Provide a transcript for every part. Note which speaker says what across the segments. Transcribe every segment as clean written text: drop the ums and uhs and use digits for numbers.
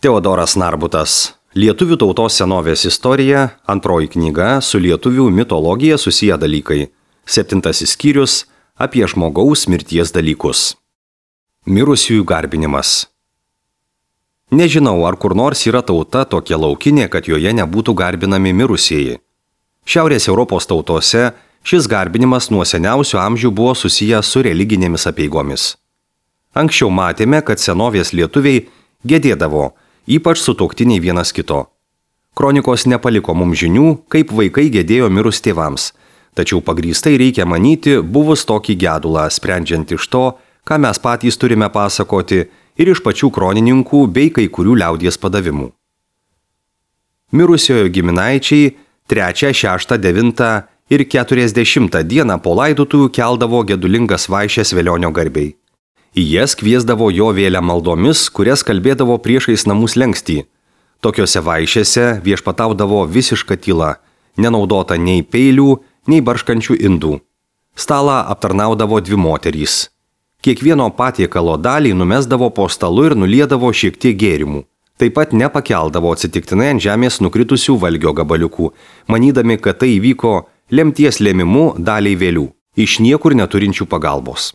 Speaker 1: Teodoras Narbutas. Lietuvių tautos senovės istorija, antroji knyga su lietuvių mitologija susiję dalykai. 7 skyrius apie žmogaus mirties dalykus. Mirusiųjų garbinimas. Nežinau, ar kur nors yra tauta tokia laukinė, kad joje nebūtų garbinami mirusieji. Šiaurės Europos tautose šis garbinimas nuo seniausių amžių buvo susijęs su religinėmis apeigomis. Anksčiau matėme, kad senovės lietuviai gedėdavo, ypač sutuoktiniai vienas kito. Kronikos nepaliko mums žinių, kaip vaikai gedėjo mirus tėvams, tačiau pagrįstai reikia manyti, buvus tokį gedulą, sprendžiant iš to, ką mes patys turime pasakoti ir iš pačių kronininkų bei kai kurių liaudies padavimų. Mirusiojo giminaičiai 3, 6, 9 ir 40 dieną po laidotuvių keldavo gedulingas vaišes velionio garbei. Į jas kviesdavo jo vėlę maldomis, kurias kalbėdavo priešais namų slenkstį. Tokiose vaišėse viešpataudavo visiška tyla, nenaudota nei peilių, nei barškančių indų. Stalą aptarnaudavo 2 moterys. Kiekvieno patiekalo dalį numesdavo po stalu ir nuliedavo šiek tiek gėrimų. Taip pat nepakeldavo atsitiktinai ant žemės nukritusių valgio gabaliukų, manydami, kad tai įvyko lemties lėmimu daliai vėlių, iš niekur neturinčių pagalbos.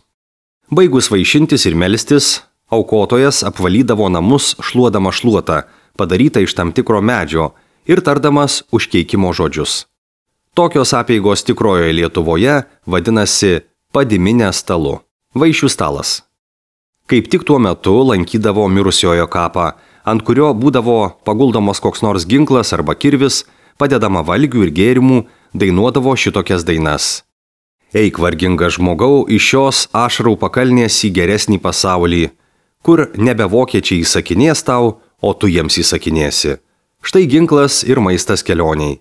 Speaker 1: Baigus vaišintis ir melstis, aukotojas apvalydavo namus šluodama šluotą, padarytą iš tam tikro medžio ir tardamas užkeikimo žodžius. Tokios apeigos tikrojoje Lietuvoje vadinasi padiminė stalu, vaišių stalas. Kaip tik tuo metu lankydavo mirusiojo kapą, ant kurio būdavo paguldomas koks nors ginklas arba kirvis, padedama valgių ir gėrimų, dainuodavo šitokias dainas. Eik, vargingas žmogau, iš šios ašarų pakalnės į geresnį pasaulį, kur nebe vokiečiai įsakinės tau, o tu jiems įsakinėsi. Štai ginklas ir maistas kelioniai.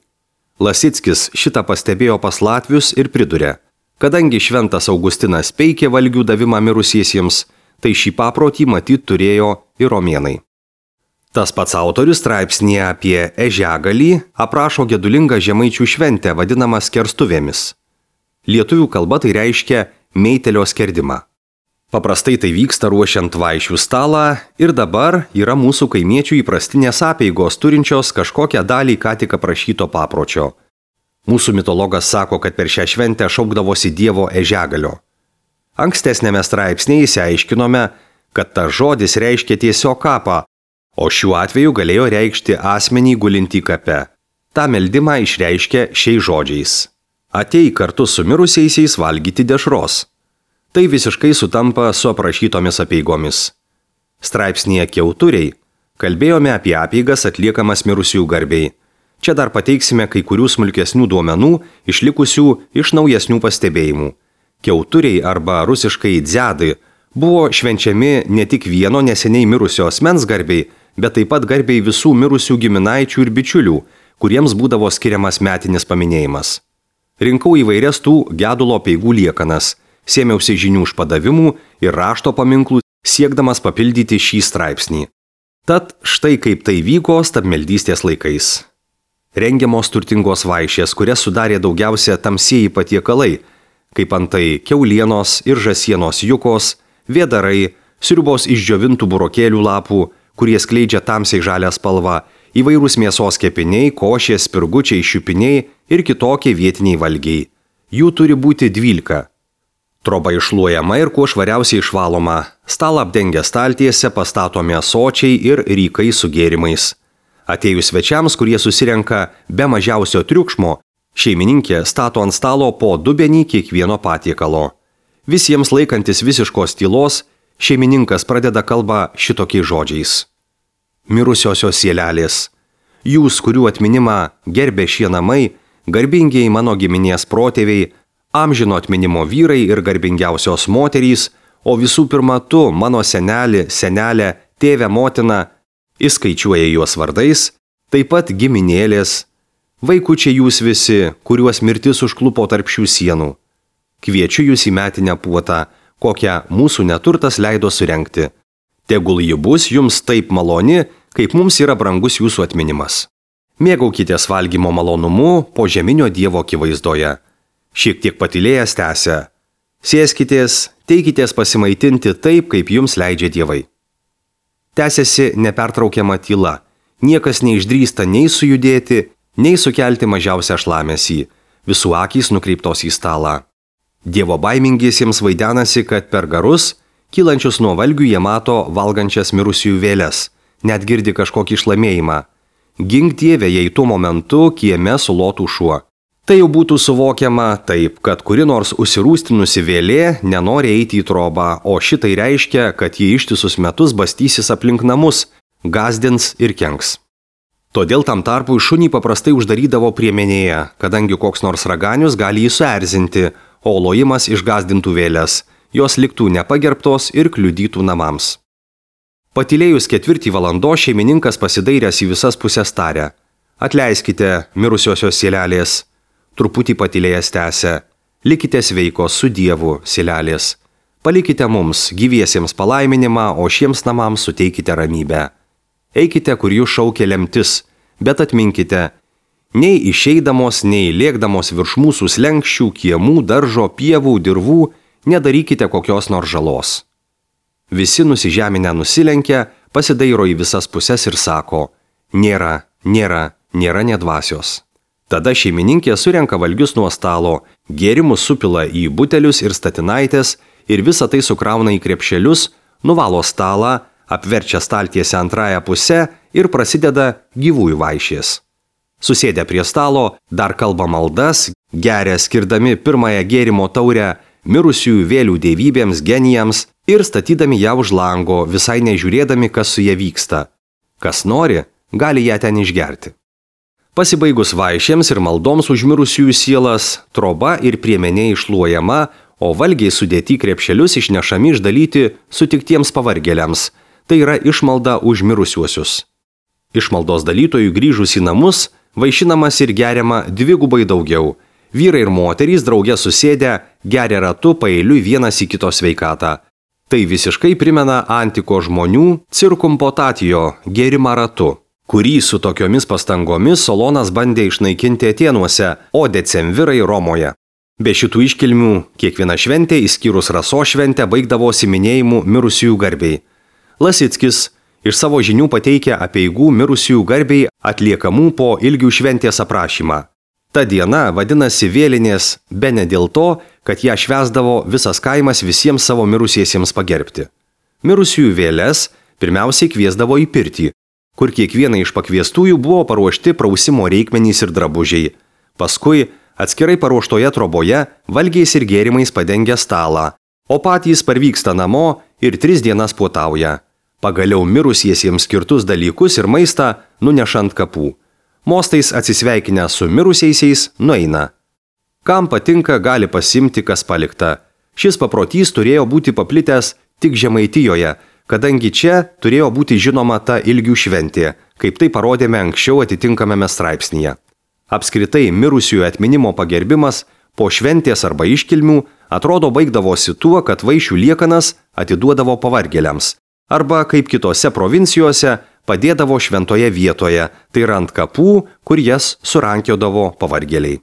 Speaker 1: Lasickis šitą pastebėjo pas latvius ir pridurė, kadangi šventas Augustinas peikė valgių davimą mirusiesiems, tai šį paprotį matyt turėjo ir romėnai. Tas pats autorius straipsnyje apie Ežiagalį aprašo gedulingą žemaičių šventę vadinamą skerstuvėmis. Lietuvių kalba tai reiškia meitelio skerdimą. Paprastai tai vyksta ruošiant vaišių stalą ir dabar yra mūsų kaimiečių įprastinės apeigos turinčios kažkokią dalį ką tik aprašyto papročio. Mūsų mitologas sako, kad per šią šventę šaukdavosi dievo Ežiagalio. Ankstesnėme straipsnėje išsiaiškinome, kad tas žodis reiškia tiesiog kapą, o šiuo atveju galėjo reikšti asmenį gulintį kape. Ta meldimą išreiškia šiais žodžiais. Ateik kartu su mirusiaisiais valgyti dešros. Tai visiškai sutampa su aprašytomis apeigomis. Straipsnyje Kiauturiai kalbėjome apie apeigas atliekamas mirusiųjų garbei. Čia dar pateiksime kai kurių smulkesnių duomenų išlikusių iš naujesnių pastebėjimų. Kiauturiai arba rusiškai dziadai buvo švenčiami ne tik vieno neseniai mirusio asmens garbei, bet taip pat garbei visų mirusių giminaičių ir bičiulių, kuriems būdavo skiriamas metinis paminėjimas. Rinkau įvairias tų gedulo apeigų liekanas, sėmiausi žinių iš padavimų ir rašto paminklų, siekdamas papildyti šį straipsnį. Tad štai kaip tai vyko stabmeldystės laikais. Rengiamos turtingos vaišės, kurias sudarė daugiausia tamsieji patiekalai, kaip antai kiaulienos ir žąsienos jukos, vėdarai, sriubos iš džiovintų burokėlių lapų, kurie skleidžia tamsiai žalią spalvą, įvairūs mėsos kepiniai, košės, spirgučiai, šiupiniai ir kitokie vietiniai valgiai. Jų turi būti 12. Troba iššluojama ir kuo švariausiai išvaloma. Stalą apdengia staltiese pastatomi ąsočiai ir rykai su gėrimais. Atėjus svečiams, kurie susirenka be mažiausio triukšmo, šeimininkė stato ant stalo po dubenį kiekvieno patiekalo. Visiems laikantis visiškos tylos, šeimininkas pradeda kalbą šitokiais žodžiais. Mirusiosios sielelės, jūs, kurių atminimą gerbė šie namai, garbingieji mano giminės protėviai, amžino atminimo vyrai ir garbingiausios moterys, o visų pirma tu, mano senelė, senelė, tėvė, motina, įskaičiuoja juos vardais, taip pat giminėlės, vaikučiai jūs visi, kuriuos mirtis užklupo tarp šių sienų. Kviečiu jūs į metinę puotą, kokią mūsų neturtas leido surengti. Tegul ji bus jums taip maloni, kaip mums yra brangus jūsų atminimas. Mėgaukitės valgymo malonumu po žeminio dievo akivaizdoje. Šiek tiek patylėjęs tęsia. Sėskitės, teikitės pasimaitinti taip, kaip jums leidžia dievai. Tęsiasi nepertraukiama tyla. Niekas neišdrįsta nei sujudėti, nei sukelti mažiausią šlamesį. Visų akys nukreiptos į stalą. Dievo baimingiesiems vaidenasi, kad per garus, kylančius nuo valgių, jie mato valgančias mirusiųjų vėles, net girdi kažkokį šlamėjimą. Gink Dieve, jei tuo momentu kieme sulotų šuo. Tai jau būtų suvokiama taip, kad kuri nors užsirūstinusi vėlė nenori eiti į trobą, o šitai reiškia, kad ji ištisus metus bastysis aplink namus, gazdins ir kenks. Todėl tam tarpui šunį paprastai uždarydavo priemenėje, kadangi koks nors raganius gali jį suerzinti, o lojimas išgazdintų vėlės, jos liktų nepagerbtos ir kliudytų namams. Patylėjus 4 valandos šeimininkas pasidairęs į visas pusės tarė: Atleiskite, mirusiosios sielelės. Truputį patylėjęs tęsė: Likite sveikos su Dievu, sielelės. Palikite mums, gyviesiems, palaiminimą, o šiems namams suteikite ramybę. Eikite, kur jūs šaukia lemtis, bet atminkite, nei išeidamos, nei lėkdamos virš mūsų slenkščių, kiemų, daržo, pievų, dirvų, nedarykite kokios nors žalos. Visi nusižeminę nusilenkia, pasidairo į visas puses ir sako: Nėra nedvasios. Tada šeimininkė surenka valgius nuo stalo, gėrimus supila į butelius ir statinaitės ir visą tai sukrauna į krepšelius, nuvalo stalą, apverčia staltiesę antrąją pusę ir prasideda gyvųjų vaišės. Susėdę prie stalo, dar kalba maldas, geria skirdami pirmąją gėrimo taurę mirusiųjų vėlių dievybėms, genijams ir statydami ją už lango, visai nežiūrėdami, kas su ja vyksta. Kas nori, gali ją ten išgerti. Pasibaigus vaišėms ir maldoms už mirusiųjų sielas, troba ir priemenė iššluojama, o valgiai sudėti krepšelius išnešami išdalyti sutiktiems pavargėliams, tai yra išmalda už mirusiuosius. Išmaldos dalytojų grįžus į namus, vaišinamas ir geriama dvigubai daugiau. Vyrai ir moterys drauge susėdę geria ratu paeiliui vienas į kito sveikatą. Tai visiškai primena antiko žmonių cirkumpotatijo gėrimą ratu, kurį su tokiomis pastangomis Solonas bandė išnaikinti Atėnuose, o decemvirai Romoje. Be šitų iškilmių, kiekviena šventė, išskyrus rasos šventę, baigdavosi minėjimu mirusiųjų garbei. Lasickis iš savo žinių pateikia apeigų mirusiųjų garbei atliekamų po ilgių šventės aprašymą. Ta diena vadinasi vėlinės bene dėl to, kad ją švęsdavo visas kaimas visiems savo mirusiesiems pagerbti. Mirusiųjų vėles pirmiausiai kviesdavo į pirtį, kur kiekvienai iš pakviestųjų buvo paruošti prausimo reikmenys ir drabužiai. Paskui atskirai paruoštoje troboje valgiais ir gėrimais padengia stalą, o patys parvyksta namo ir 3 dienas puotauja. Pagaliau mirusiesiems skirtus dalykus ir maistą nuneša ant kapų. Mostais atsisveikinę su mirusiaisiais nueina. Kam patinka, gali pasimti, kas palikta. Šis paprotys turėjo būti paplitęs tik Žemaitijoje, kadangi čia turėjo būti žinoma ta ilgių šventė, kaip tai parodėme anksčiau atitinkamame straipsnyje. Apskritai, mirusiųjų atminimo pagerbimas po šventės arba iškilmių atrodo baigdavosi tuo, kad vaišių liekanas atiduodavo pavargėliams, arba kaip kitose provincijose padėdavo šventoje vietoje, tai yra ant kapų, kur jas surankiodavo pavargėliai.